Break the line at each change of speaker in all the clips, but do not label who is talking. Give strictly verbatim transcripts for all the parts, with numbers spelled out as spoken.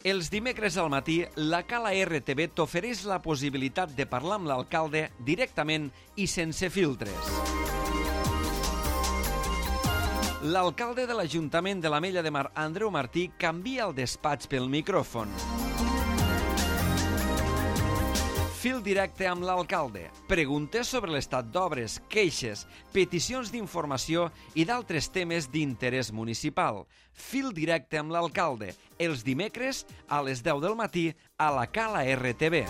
Els dimecres al matí, la Cala R T V t'ofereix la possibilitat de parlar amb l'alcalde directament i sense filtres. L'alcalde de l'Ajuntament de l'Ametlla de Mar, Andreu Martí, canvia el despatx pel micròfon. Fil directe amb l'alcalde. Preguntes sobre l'estat d'obres, queixes, peticions d'informació i d'altres temes d'interès municipal. Fil directe amb l'alcalde. Els dimecres a les deu del matí a la Cala R T V.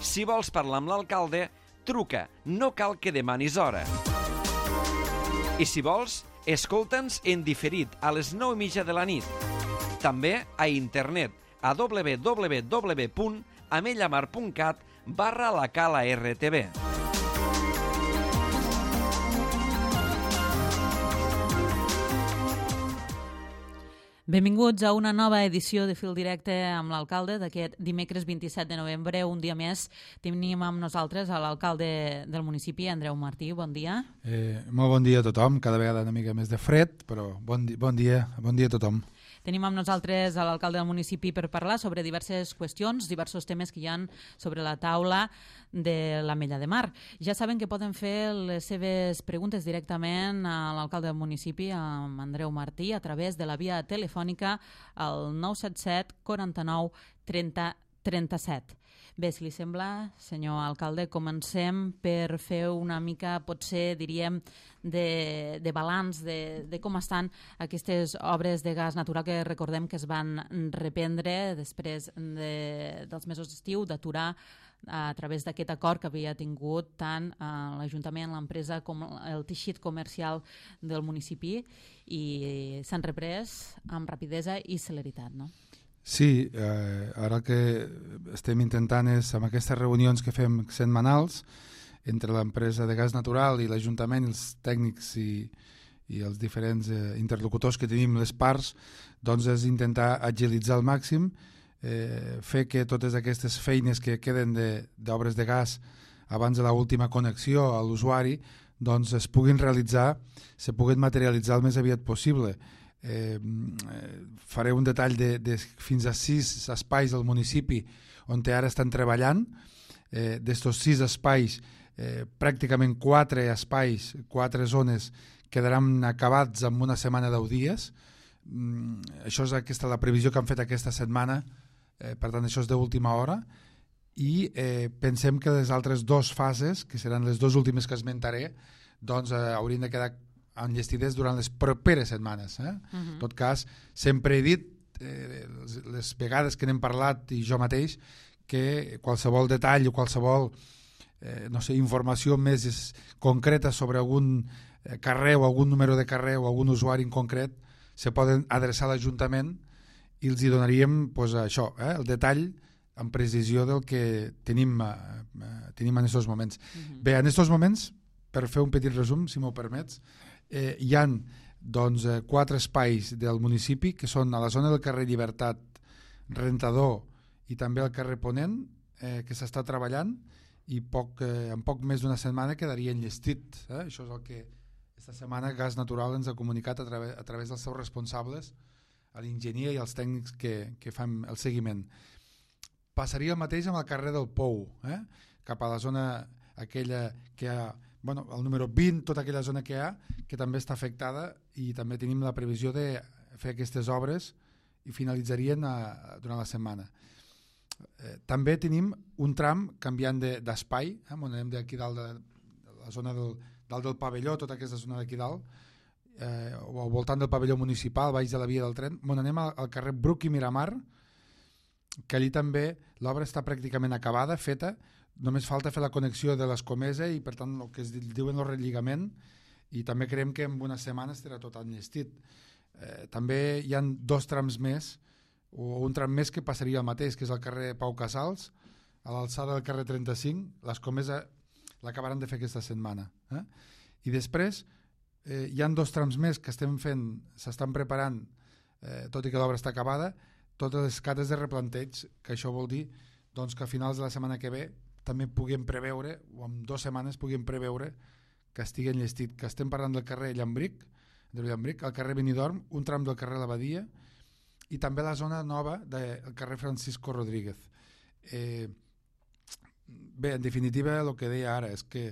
Si vols parlar amb l'alcalde, truca. No cal que demanis hora. I si vols, escolta'ns en diferit a les nou i mitja de la nit. També a internet a w w w punt amellamar punt cat barra la Cala R T V.
Benvinguts a una nova edició de Fil Directe amb l'alcalde d'aquest dimecres vint-i-set de novembre. Un dia més tenim amb nosaltres a l'alcalde del municipi, Andreu Martí. Bon dia.
Eh, molt bon dia a tothom, cada vegada una mica més de fred, però bon, di bon dia, bon dia a tothom.
Tenim amb nosaltres a l'alcalde del municipi per parlar sobre diverses qüestions, diversos temes que hi ha sobre la taula de l'Ametlla de Mar. Ja saben que poden fer les seves preguntes directament a l'alcalde del municipi, amb Andreu Martí, a través de la via telefònica al nou set set quaranta-nou trenta trenta-set. Bé, si li sembla, senyor alcalde, comencem per fer una mica, potser diríem, de, de balanç de, de com estan aquestes obres de gas natural que recordem que es van reprendre després de, dels mesos d'estiu, d'aturar a través d'aquest acord que havia tingut tant l'Ajuntament, l'empresa com el teixit comercial del municipi, i s'han reprès amb rapidesa i celeritat, no?
Sí, eh, ara el que estem intentant és, amb aquestes reunions que fem setmanals entre l'empresa de gas natural i l'Ajuntament, els tècnics i, i els diferents eh, interlocutors que tenim, les parts, doncs és intentar agilitzar al màxim, eh, fer que totes aquestes feines que queden d'obres de, de gas abans de l'última connexió a l'usuari doncs es puguin realitzar, se puguin materialitzar el més aviat possible. Eh, faré un detall de, de fins a sis espais del municipi on ara estan treballant. Eh, d'estos sis espais, eh, pràcticament quatre espais, quatre zones quedaran acabats en una setmana, deu dies. Mm, això és aquesta, la previsió que han fet aquesta setmana, eh, per tant això és d'última hora, i eh, pensem que les altres dues fases, que seran les dues últimes que esmentaré, doncs eh, haurien de quedar enllestides durant les properes setmanes. Eh? Uh-huh. En tot cas, sempre he dit, eh, les, les vegades que n'hem parlat i jo mateix, que qualsevol detall o qualsevol eh, no sé, informació més concreta sobre algun eh, carrer o algun número de carrer o algun usuari en concret se poden adreçar a l'Ajuntament i els hi donaríem pues, això, eh, el detall amb precisió del que tenim, eh, tenim en aquests moments. Uh-huh. Bé, en aquests moments, per fer un petit resum, si m'ho permets, Eh, hi ha doncs, eh, quatre espais del municipi que són a la zona del carrer Llibertat, Rentador i també al carrer Ponent, eh, que s'està treballant i poc, eh, en poc més d'una setmana quedaria enllestit. Eh? Això és el que aquesta setmana Gas Natural ens ha comunicat a, través, a través dels seus responsables, a l'enginyer i als tècnics que, que fan el seguiment. Passaria el mateix amb el carrer del Pou, eh? Cap a la zona aquella que hi ha, bueno, el número vint, tota aquella zona que hi ha, que també està afectada, i també tenim la previsió de fer aquestes obres i finalitzarien a, durant la setmana. Eh, també tenim un tram canviant d'espai, de, eh, on anem d'aquí dalt de, de la zona del, dalt del pavelló, tota aquesta zona d'aquí dalt, eh, o al voltant del pavelló municipal, baix de la via del tren, on anem al, al carrer Bruc i Miramar, que allí també l'obra està pràcticament acabada, feta, només falta fer la connexió de l'Escomesa i per tant el que es diuen el relligament, i també creiem que en una setmana estarà tot enllestit. Eh, també hi ha dos trams més, o un tram més que passaria el mateix, que és el carrer Pau Casals, a l'alçada del carrer trenta-cinc, l'Escomesa l'acabaran de fer aquesta setmana. Eh? I després eh, hi ha dos trams més que estem fent, s'estan preparant, eh, tot i que l'obra està acabada, totes les cates de replanteig, que això vol dir doncs, que a finals de la setmana que ve també puguem preveure, o en dues setmanes puguem preveure que estigui enllestit, que estem parlant del carrer Llambric, del Llambric, al carrer Benidorm, un tram del carrer L'Abadia i també la zona nova del carrer Francisco Rodríguez. Eh, bé, en definitiva, el que deia ara és que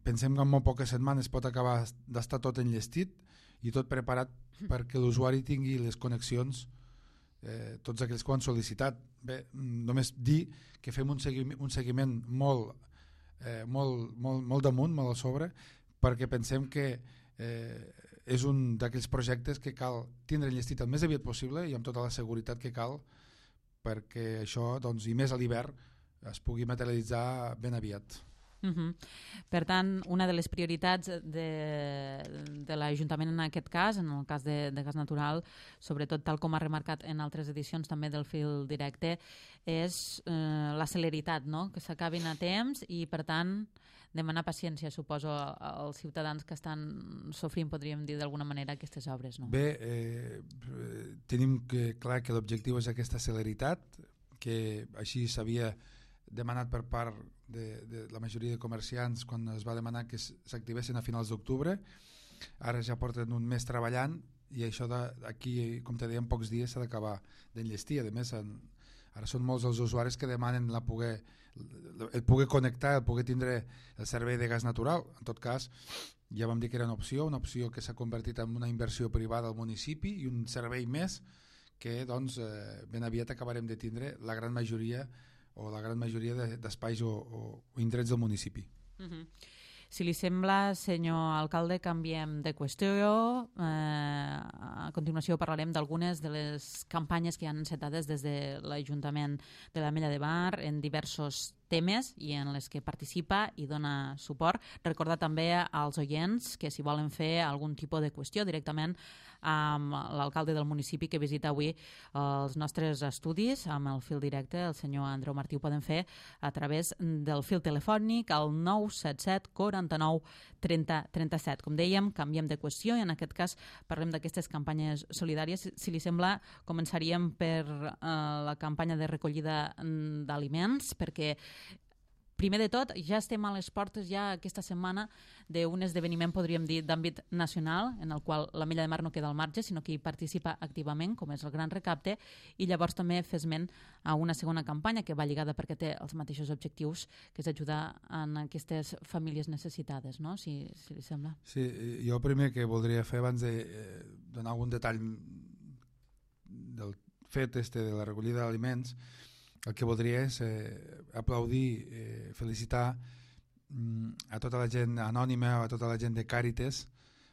pensem que en molt poques setmanes pot acabar d'estar tot enllestit i tot preparat perquè l'usuari tingui les connexions, eh, tots aquells que ho han sol·licitat. Bé, només dir que fem un seguiment, un seguiment molt, eh, molt, molt, molt damunt, molt a sobre, perquè pensem que eh, és un d'aquells projectes que cal tindre enllestit el més aviat possible i amb tota la seguretat que cal perquè això, doncs, i més a l'hivern, es pugui materialitzar ben aviat.
Uh-huh. Per tant, una de les prioritats de, de l'Ajuntament en aquest cas, en el cas de, de gas natural, sobretot tal com ha remarcat en altres edicions també del Fil Directe, és eh, la celeritat, no? Que s'acabin a temps i, per tant, demanar paciència, suposo, als ciutadans que estan sofrint, podríem dir d'alguna manera, aquestes obres. No?
Bé, eh, tenim que, clar que l'objectiu és aquesta celeritat, que així s'havia demanat per part de, de la majoria de comerciants quan es va demanar que s'activessin a finals d'octubre. Ara ja porten un mes treballant i això d'aquí, com te deia, en pocs dies s'ha d'acabar d'enllestir. A més, en, ara són molts els usuaris que demanen la poder, el poder connectar, el poder tindre el servei de gas natural. En tot cas, ja vam dir que era una opció, una opció que s'ha convertit en una inversió privada al municipi i un servei més que doncs, eh, ben aviat acabarem de tindre la gran majoria o la gran majoria d'espais o, o, o indrets del municipi.
Uh-huh. Si li sembla, senyor alcalde, canviem de qüestió. Eh, a continuació parlarem d'algunes de les campanyes que hi ha encetades des de l'Ajuntament de l'Ametlla de Mar en diversos temes i en les que participa i dona suport. Recordar també als oients que si volen fer algun tipus de qüestió directament amb l'alcalde del municipi que visita avui els nostres estudis amb el fil directe, el senyor Andreu Martí, ho poden fer a través del fil telefònic al nou set set quaranta-nou trenta trenta-set. Com dèiem, canviem de qüestió i en aquest cas parlem d'aquestes campanyes solidàries. Si li sembla, començaríem per eh, la campanya de recollida d'aliments, perquè primer de tot, ja estem a les portes ja aquesta setmana d'un esdeveniment, podríem dir, d'àmbit nacional, en el qual l'Ametlla de Mar no queda al marge, sinó que hi participa activament, com és el Gran Recapte, i llavors també fer esment a una segona campanya que va lligada perquè té els mateixos objectius, que és ajudar en aquestes famílies necessitades, no? Si, si li sembla.
Sí, jo primer que voldria fer, abans de eh, donar algun detall del fet este de la recollida d'aliments, el que voldria és eh, aplaudir, eh, felicitar mm, a tota la gent anònima, a tota la gent de Càritas,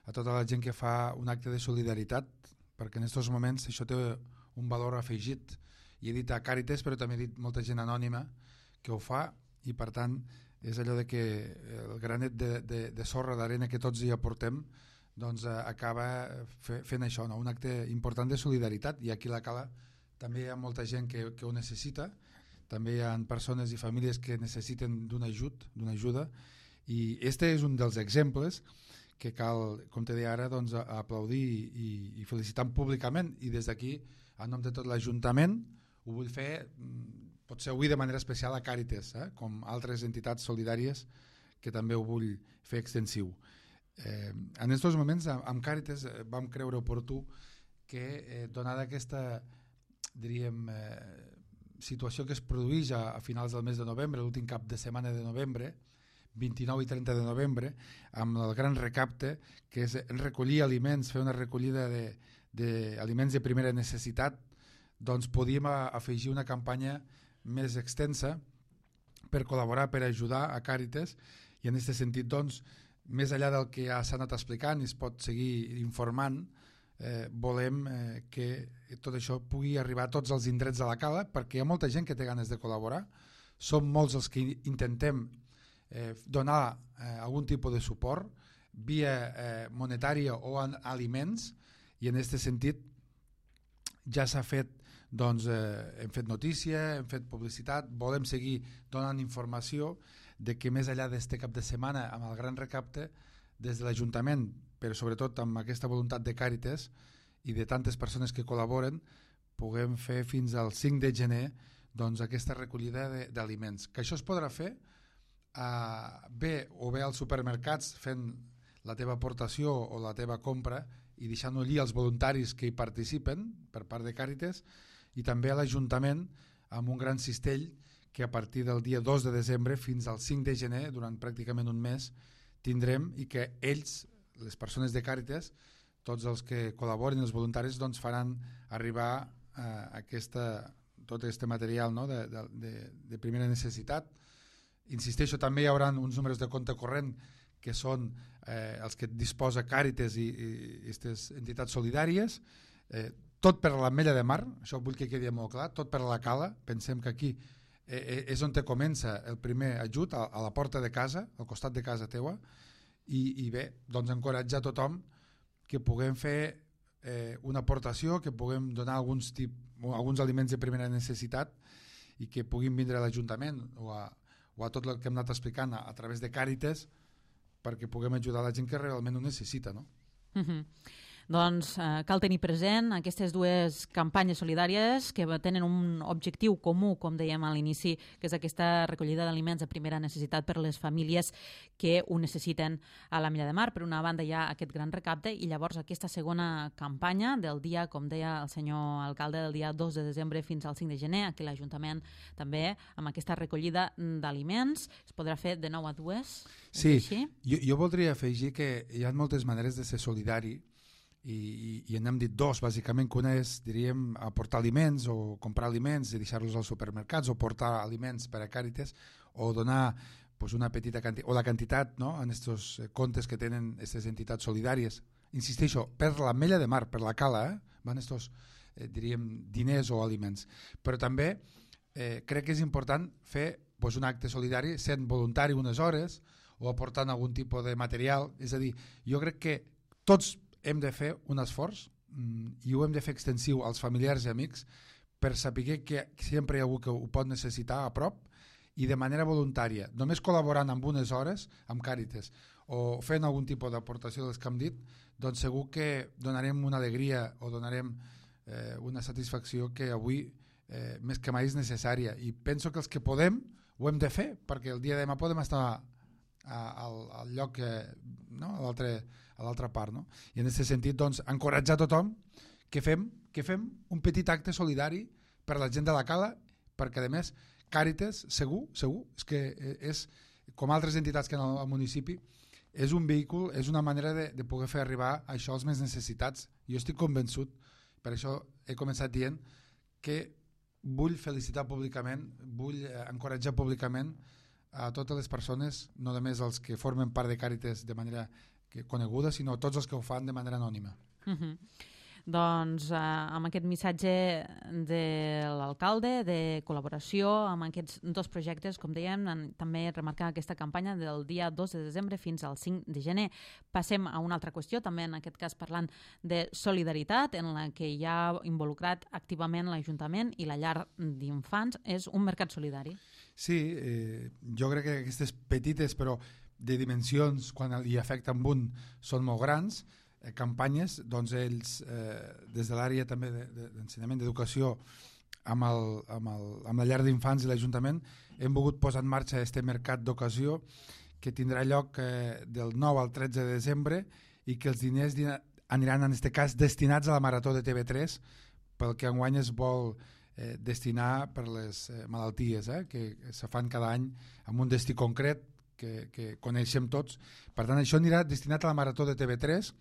a tota la gent que fa un acte de solidaritat, perquè en aquests moments això té un valor afegit. I he dit a Càritas, però també he dit molta gent anònima que ho fa, i per tant és allò de que el granet de, de, de sorra d'arena que tots hi aportem doncs eh, acaba fe, fent això, no? Un acte important de solidaritat, i aquí a la Cala també hi ha molta gent que, que ho necessita, també hi ha persones i famílies que necessiten d'un ajut, d'una ajuda, i este és un dels exemples que cal, com te deia ara, doncs, aplaudir i, i felicitar públicament, i des d'aquí, en nom de tot l'Ajuntament, ho vull fer, potser avui de manera especial a Càritas, eh? Com altres entitats solidàries que també ho vull fer extensiu. Eh, en aquests moments, amb Càritas vam creure oportú que, eh, donada aquesta diríem, eh, situació que es produeix a, a finals del mes de novembre, l'últim cap de setmana de novembre, vint-i-nou i trenta de novembre, amb el Gran Recapte, que és recollir aliments, fer una recollida d'aliments de, de primera necessitat, doncs podíem a, afegir una campanya més extensa per col·laborar, per ajudar a Càritas, i en aquest sentit, doncs, més enllà del que ja s'ha anat explicant i es pot seguir informant, Eh, volem eh, que tot això pugui arribar a tots els indrets de la Cala, perquè hi ha molta gent que té ganes de col·laborar, som molts els que intentem eh, donar eh, algun tipus de suport via eh, monetària o en aliments, i en aquest sentit ja s'ha fet, doncs eh, hem fet notícia, hem fet publicitat, volem seguir donant informació de que més enllà d'este cap de setmana amb el Gran Recapte, des de l'Ajuntament, però sobretot amb aquesta voluntat de Càritas i de tantes persones que col·laboren, puguem fer fins al cinc de gener doncs, aquesta recollida d'aliments. Que això es podrà fer eh, bé o bé als supermercats fent la teva aportació o la teva compra i deixant-ho allí als voluntaris que hi participen per part de Càritas, i també a l'Ajuntament amb un gran cistell que a partir del dia dos de desembre fins al cinc de gener, durant pràcticament un mes, tindrem, i que ells, les persones de Càritas, tots els que col·laboren, els voluntaris, doncs faran arribar eh, aquesta, tot aquest material, no? de, de, de, de primera necessitat. Insisteixo, també hi haurà uns números de compte corrent que són eh, els que disposa Càritas i aquestes entitats solidàries, eh, tot per l'Ametlla de Mar, això vull que quedi molt clar, tot per la Cala. Pensem que aquí eh, és on te comença el primer ajut, a, a la porta de casa, al costat de casa teua, i, i bé, doncs encoratjar tothom que puguem fer eh, una aportació, que puguem donar alguns, tip, alguns aliments de primera necessitat i que puguin vindre a l'Ajuntament o a, o a tot el que hem anat explicant a, a través de Càritas, perquè puguem ajudar la gent que realment ho necessita, no?
Uh-huh. Doncs eh, cal tenir present aquestes dues campanyes solidàries que tenen un objectiu comú, com dèiem a l'inici, que és aquesta recollida d'aliments de primera necessitat per a les famílies que ho necessiten a l'Ametlla de Mar. Per una banda hi ha aquest gran recapte i llavors aquesta segona campanya del dia, com deia el senyor alcalde, del dia dos de desembre fins al cinc de gener, aquí l'Ajuntament també amb aquesta recollida d'aliments. Es podrà fer de nou a dues?
Sí, jo, jo voldria afegir que hi ha moltes maneres de ser solidari, i, i, i n'hem dit dos, bàsicament, que una és, diríem, aportar aliments o comprar aliments i deixar-los als supermercats, o portar aliments per a Càritas, o donar pues, una petita quantitat, o la quantitat, no?, en aquests comptes que tenen aquestes entitats solidàries. Insisteixo, per l'Ametlla de Mar, per la Cala, eh? van estos, eh, diríem, diners o aliments. Però també eh, crec que és important fer pues, un acte solidari sent voluntari unes hores o aportant algun tipus de material. És a dir, jo crec que tots hem de fer un esforç mm, i ho hem de fer extensiu als familiars i amics per saber que sempre hi ha algú que ho pot necessitar a prop i de manera voluntària, només col·laborant amb unes hores amb Càritas o fent algun tipus d'aportació dels que hem dit, doncs segur que donarem una alegria o donarem eh, una satisfacció que avui eh, més que mai és necessària, i penso que els que podem ho hem de fer, perquè el dia de demà podem estar a, al, al lloc que, no? a l'altre a l'altra part, no? I en aquest sentit, doncs, encoratjar tothom que fem, que fem un petit acte solidari per la gent de la Cala, perquè a més Càritas, segur, segur, és que és, com altres entitats que en el municipi, és un vehicle, és una manera de, de poder fer arribar això als més necessitats. Jo estic convençut, per això he començat dient que vull felicitar públicament, vull encoratjar públicament a totes les persones, no només els que formen part de Càritas de manera que coneguda, sinó tots els que ho fan de manera anònima.
Uh-huh. Doncs eh, amb aquest missatge de l'alcalde, de col·laboració amb aquests dos projectes, com dèiem, en, també remarcar aquesta campanya del dia dos de desembre fins al cinc de gener. Passem a una altra qüestió, també en aquest cas parlant de solidaritat, en la que hi ha involucrat activament l'Ajuntament i la llar d'infants. És un mercat solidari.
Sí, eh, jo crec que aquestes petites, però de dimensions, quan hi afecten un, són molt grans, eh, campanyes, doncs ells, eh, des de l'àrea també d'ensenyament de, d'educació, amb, el, amb, el, amb la llar d'infants i l'Ajuntament, hem volgut posar en marxa aquest mercat d'ocasió que tindrà lloc eh, del nou al tretze de desembre i que els diners aniran, en aquest cas, destinats a la Marató de T V tres, pel que enguany es vol eh, destinar per les eh, malalties eh, que se fan cada any amb un destí concret, Que, que coneixem tots. Per tant, això anirà destinat a la Marató de T V tres.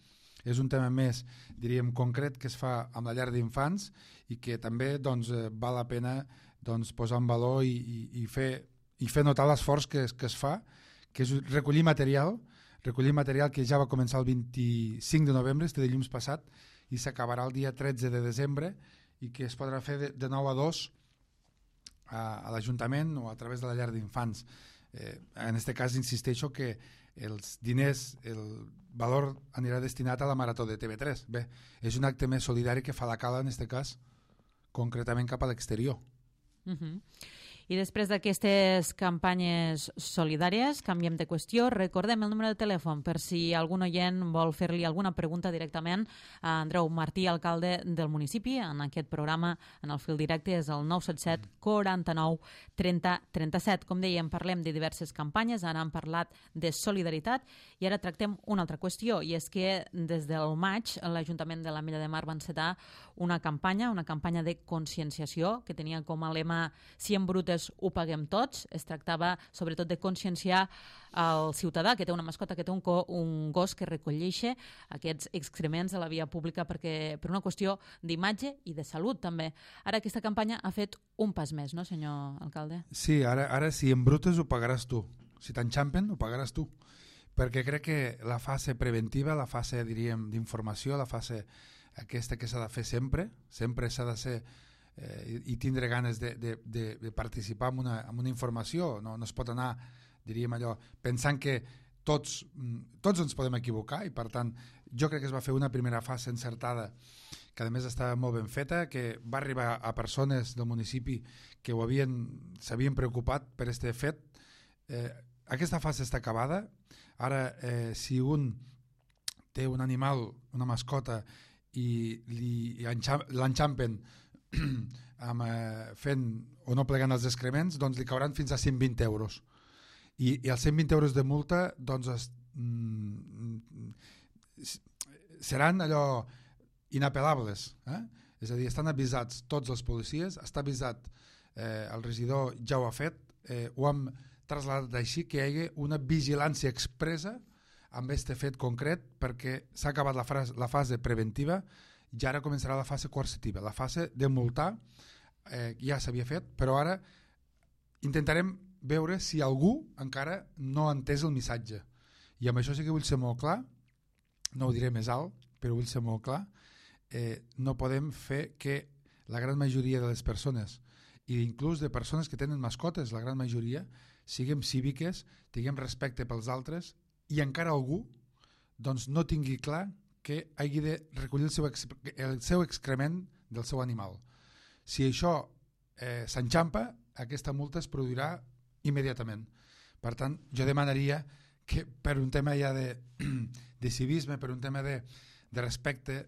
És un tema més, diríem, concret que es fa amb la llar d'infants i que també doncs, val la pena doncs, posar en valor i, i, i, fer, i fer notar l'esforç que, que es fa, que és recollir material, recollir material que ja va començar el vint-i-cinc de novembre, este dilluns passat, i s'acabarà el dia tretze de desembre, i que es podrà fer de, de nou a dos a, a l'Ajuntament o a través de la llar d'infants. Eh, en aquest cas insisteixo que els diners, el valor anirà destinat a la Marató de T V tres. Bé, és un acte més solidari que fa la Cala en aquest cas, concretament cap a l'exterior.
Uh-huh. I després d'aquestes campanyes solidàries, canviem de qüestió, recordem el número de telèfon per si algun oient vol fer-li alguna pregunta directament a Andreu Martí, alcalde del municipi. En aquest programa, en el fil directe, és el nou set set quaranta-nou trenta trenta-set. Com dèiem, parlem de diverses campanyes, ara hem parlat de solidaritat i ara tractem una altra qüestió, i és que des del maig l'Ajuntament de l'Ametlla de Mar va encetar una campanya, una campanya de conscienciació que tenia com a lema "Si embrutes ho paguem tots". Es tractava sobretot de conscienciar el ciutadà que té una mascota, que té un, co un gos que recolleix aquests excrements de la via pública perquè per una qüestió d'imatge i de salut també. Ara aquesta campanya ha fet un pas més, no, senyor alcalde?
Sí, ara, ara si embrutes ho pagaràs tu. Si t'enxampen ho pagaràs tu. Perquè crec que la fase preventiva, la fase, diríem, d'informació, la fase aquesta que s'ha de fer sempre, sempre s'ha de ser eh, i tindre ganes de, de, de, de participar en una, en una informació. No, no es pot anar, diríem allò, pensant que tots, tots ens podem equivocar, i per tant jo crec que es va fer una primera fase encertada que a més estava molt ben feta, que va arribar a persones del municipi que ho havien, s'havien preocupat per aquest fet. Eh, aquesta fase està acabada. Ara, eh, si un té un animal, una mascota, i li l'enxampen amb, eh, fent o no plegant els excrements, doncs li cauran fins a cent vint euros. I, i els cent vint euros de multa doncs es, mm, seran allò inapel·lables. Eh? És a dir, estan avisats tots els policies, està avisat, eh, el regidor ja ho ha fet, eh, ho hem traslladat així, que hi hagi una vigilància expressa amb aquest fet concret, perquè s'ha acabat la, frase, la fase preventiva i ara començarà la fase coercitiva, la fase de multar. Eh, ja s'havia fet, però ara intentarem veure si algú encara no ha entès el missatge, i amb això sí que vull ser molt clar, no ho diré més alt, però vull ser molt clar. Eh, no podem fer que la gran majoria de les persones, i inclús de persones que tenen mascotes, la gran majoria, siguem cíviques, tinguem respecte pels altres, i encara algú doncs, no tingui clar que hagi de recollir el seu, el seu excrement del seu animal. Si això eh, s'enxampa, aquesta multa es produirà immediatament. Per tant, jo demanaria que per un tema ja de, de civisme, per un tema de, de respecte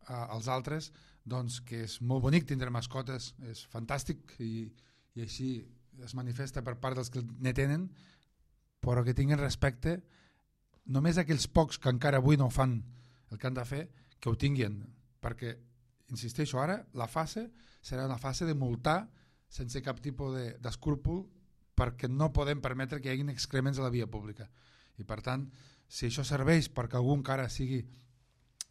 a, als altres, doncs que és molt bonic tindre mascotes, és fantàstic, i, i així es manifesta per part dels que ne tenen, però que tinguin respecte només aquells pocs que encara avui no fan el que han de fer, que ho tinguin, perquè, insisteixo, ara la fase serà una fase de multar sense cap tipus d'escrúpol, perquè no podem permetre que hi hagi excrements a la via pública. I per tant, si això serveix perquè algú encara sigui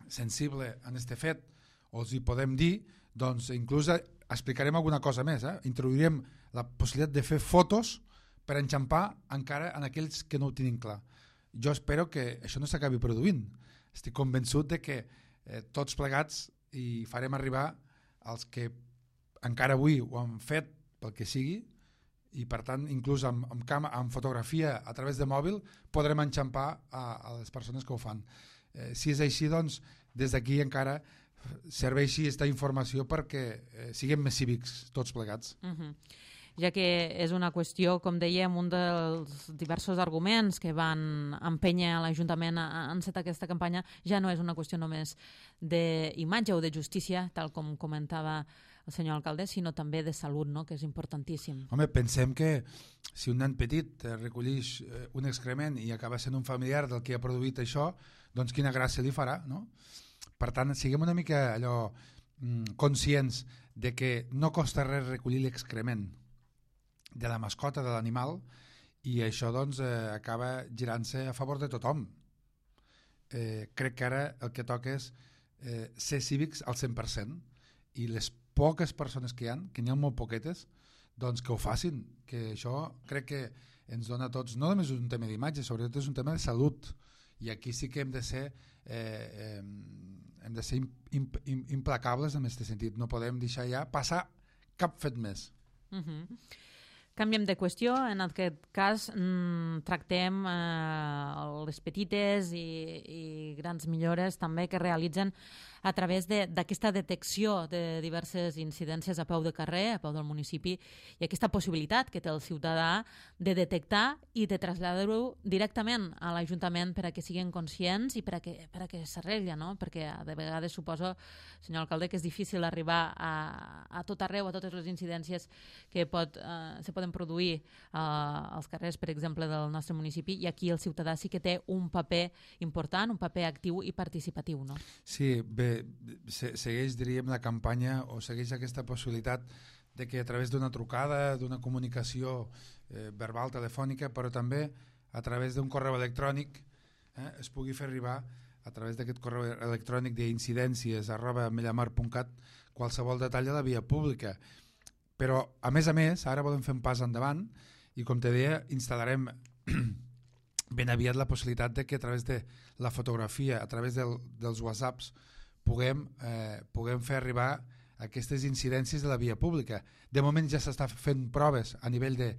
sensible en aquest fet, o els hi podem dir, doncs inclús explicarem alguna cosa més, eh? Introduirem la possibilitat de fer fotos per enxampar encara en aquells que no ho tenen clar. Jo espero que això no s'acabi produint. Estic convençut de que eh, tots plegats hi farem arribar als que encara avui ho han fet pel que sigui, i per tant inclús amb, amb, cama, amb fotografia a través de mòbil podrem enxampar a, a les persones que ho fan. Eh, si és així, doncs des d'aquí encara serveixi aquesta informació perquè eh, siguem més cívics tots plegats.
Uh-huh. Ja que és una qüestió, com dèiem, un dels diversos arguments que van empènyer a l'Ajuntament a encetar aquesta campanya ja no és una qüestió només d'imatge o de justícia, tal com comentava el senyor alcalde, sinó també de salut, no? Que és importantíssim.
Home, pensem que si un nen petit recolleix un excrement i acaba sent un familiar del que ha produït això, doncs quina gràcia li farà, no? Per tant, siguem una mica allò mm, conscients de que no costa res recollir l'excrement de la mascota, de l'animal, i això doncs eh, acaba girant-se a favor de tothom. Eh, crec que ara el que toca és eh, ser cívics al cent per cent, i les poques persones que hi ha, que n'hi ha molt poquetes, doncs que ho facin, que això crec que ens dona a tots, no només un tema d'imatge, sobretot és un tema de salut, i aquí sí que hem de ser eh, eh, hem de ser imp, imp, implacables en aquest sentit, no podem deixar ja passar cap fet més.
Uh-huh. Canviem de qüestió, en aquest cas mmm, tractem eh, les petites i, i grans millores també que realitzen a través d'aquesta de, detecció de diverses incidències a peu de carrer, a peu del municipi, i aquesta possibilitat que té el ciutadà de detectar i de traslladar-ho directament a l'Ajuntament per a que siguin conscients i per a que, per a que s'arregli, no? Perquè de vegades suposo, senyor alcalde, que és difícil arribar a, a tot arreu, a totes les incidències que pot, eh, se poden produir eh, als carrers, per exemple, del nostre municipi, i aquí el ciutadà sí que té un paper important, un paper actiu i participatiu, no?
Sí, bé, se, segueix, diríem, la campanya o segueix aquesta possibilitat de que a través d'una trucada, d'una comunicació eh, verbal, telefònica, però també a través d'un correu electrònic eh, es pugui fer arribar a través d'aquest correu electrònic d'incidències arroba amellamar punt cat qualsevol detall de la via pública. Però, a més a més, ara volem fer un pas endavant i, com te deia, instal·larem ben aviat la possibilitat de que a través de la fotografia, a través del, dels whatsapps, puguem, eh, puguem fer arribar aquestes incidències de la via pública. De moment ja s'està fent proves a nivell de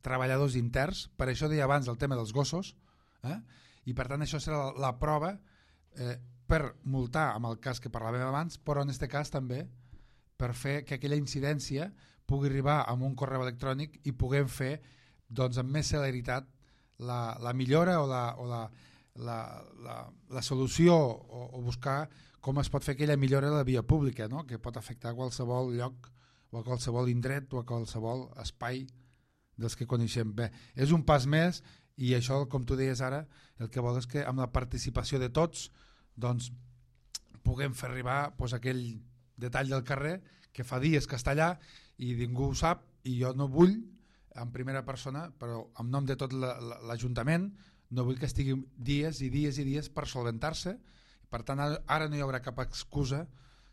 treballadors interns, per això deia abans el tema dels gossos, eh? I per tant això serà la, la prova eh, per multar amb el cas que parlàvem abans, però en aquest cas també per fer que aquella incidència pugui arribar amb un correu electrònic i puguem fer doncs, amb més celeritat la, la millora o, la, o la, la, la, la solució o, o buscar com es pot fer aquella millora de la via pública, no? Que pot afectar a qualsevol lloc o a qualsevol indret o a qualsevol espai dels que coneixem. Bé, és un pas més i això, com tu deies ara, el que vol és que amb la participació de tots doncs, puguem fer arribar doncs, aquell detall del carrer que fa dies que està allà i ningú ho sap i jo no vull en primera persona, però en nom de tot l'Ajuntament, no vull que estigui dies i dies i dies per solventar-se. Per tant, ara no hi haurà cap excusa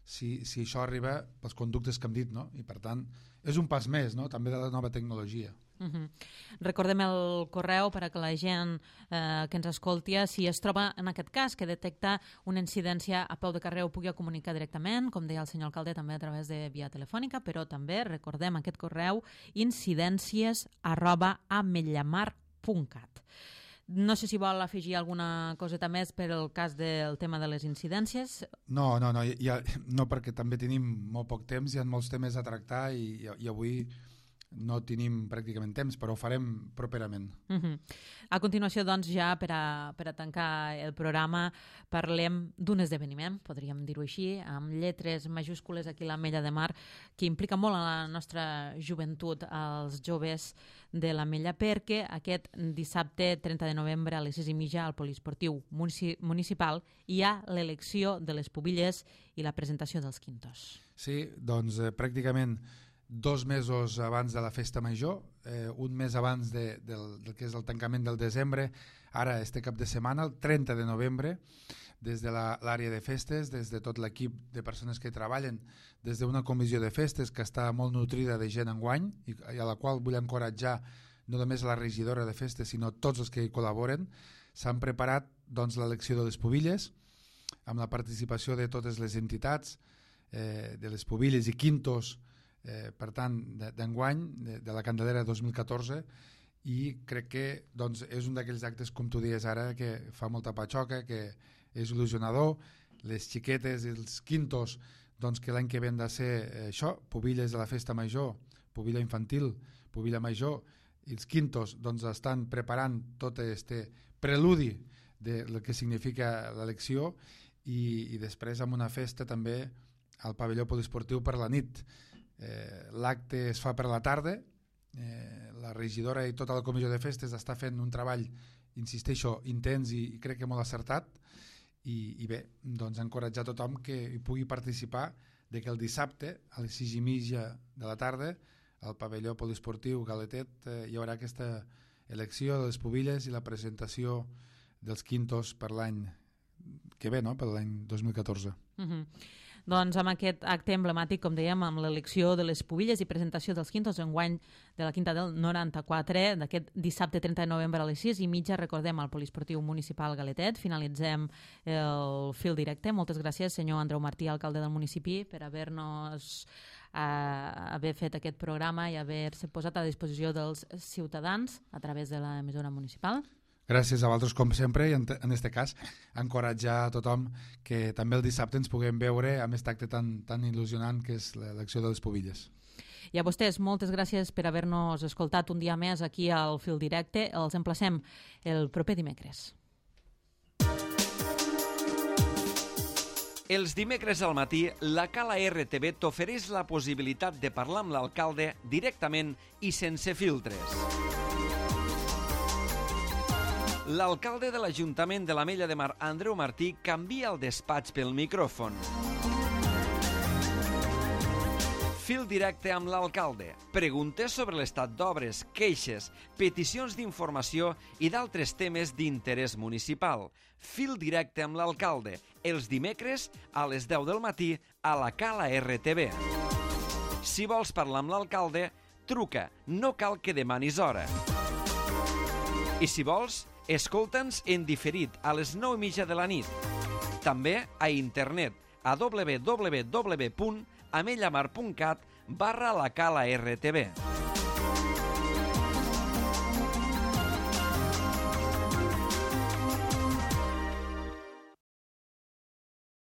si, si això arriba pels conductes que hem dit, no? I per tant, és un pas més, no? També de la nova tecnologia.
Uh-huh. Recordem el correu per a que la gent eh, que ens escolti, si es troba en aquest cas que detecta una incidència a peu de carrer, ho pugui comunicar directament, com deia el senyor alcalde, també a través de via telefònica, però també recordem aquest correu incidències arroba amellamar punt cat. No sé si vol afegir alguna coseta més per al cas del tema de les incidències.
No, no, no, ja, no perquè també tenim molt poc temps, hi ha molts temes a tractar i, i avui no tenim pràcticament temps, però ho farem properament.
Uh-huh. A continuació, doncs, ja per a, per a tancar el programa, parlem d'un esdeveniment, podríem dir-ho així, amb lletres majúscules aquí a l'Ametlla de Mar, que implica molt a la nostra joventut, als joves de l'Ametlla, perquè aquest dissabte trenta de novembre a les sis i mitja al Poliesportiu Municipal hi ha l'elecció de les pubilles i la presentació dels quintos.
Sí, doncs eh, pràcticament dos mesos abans de la festa major, eh, un mes abans de, del, del que és el tancament del desembre, ara este cap de setmana, el trenta de novembre, des de l'àrea de festes, des de tot l'equip de persones que hi treballen, des d'una comissió de festes que està molt nutrida de gent enguany i, i a la qual vull encoratjar no només la regidora de festes, sinó tots els que hi col·laboren, s'han preparat doncs, l'elecció de les pubilles, amb la participació de totes les entitats, eh, de les pubilles i quintos, Eh, per tant, d'enguany, de, de la Candelera dos mil catorze, i crec que doncs, és un d'aquells actes, com tu dies ara, que fa molta patxoca, que és il·lusionador. Les xiquetes i els quintos, doncs, que l'any que ve han de ser eh, això, pubilles de la festa major, pubilla infantil, pubilla major, i els quintos doncs, estan preparant tot este preludi del que significa l'elecció i, i després amb una festa també al pavelló poliesportiu per la nit. Eh, l'acte es fa per la tarda, eh, la regidora i tota la comissió de festes està fent un treball, insisteixo, intens i, i crec que molt acertat i, i bé, doncs encoratjar tothom que hi pugui participar, de que el dissabte a les sis i mitja de la tarda al pavelló poliesportiu Galetet eh, hi haurà aquesta elecció de les pubilles i la presentació dels quintos per l'any que ve, no? Per l'any dos mil catorze.
Uh-huh. Doncs amb aquest acte emblemàtic, com dèiem, amb l'elecció de les pubilles i presentació dels quintos enguany de la Quinta del noranta-quatre, d'aquest dissabte trenta de novembre a les sis i mitja, recordem, al Poliesportiu Municipal Galetet. Finalitzem el fil directe. Moltes gràcies, senyor Andreu Martí, alcalde del municipi, per haver-nos eh, haver fet aquest programa i haver-se posat a disposició dels ciutadans a través de l'emissora municipal.
Gràcies a vosaltres, com sempre, i en aquest cas, encoratjar a tothom que també el dissabte ens puguem veure amb aquest acte tan, tan il·lusionant que és l'elecció de les Pubilles.
I a vostès, moltes gràcies per haver-nos escoltat un dia més aquí al Fil Directe. Els emplacem el proper dimecres.
Els dimecres al matí, la Cala R T V t'ofereix la possibilitat de parlar amb l'alcalde directament i sense filtres. L'alcalde de l'Ajuntament de l'Ametlla de Mar, Andreu Martí, canvia el despatx pel micròfon. Fil directe amb l'alcalde. Preguntes sobre l'estat d'obres, queixes, peticions d'informació i d'altres temes d'interès municipal. Fil directe amb l'alcalde. Els dimecres a les deu del matí a la Cala R T V. Si vols parlar amb l'alcalde, truca. No cal que demanis hora. I si vols, escolta'ns en diferit a les nou i mitja de la nit. També a internet a w w w punt amellamar punt cat barra la Cala R T V.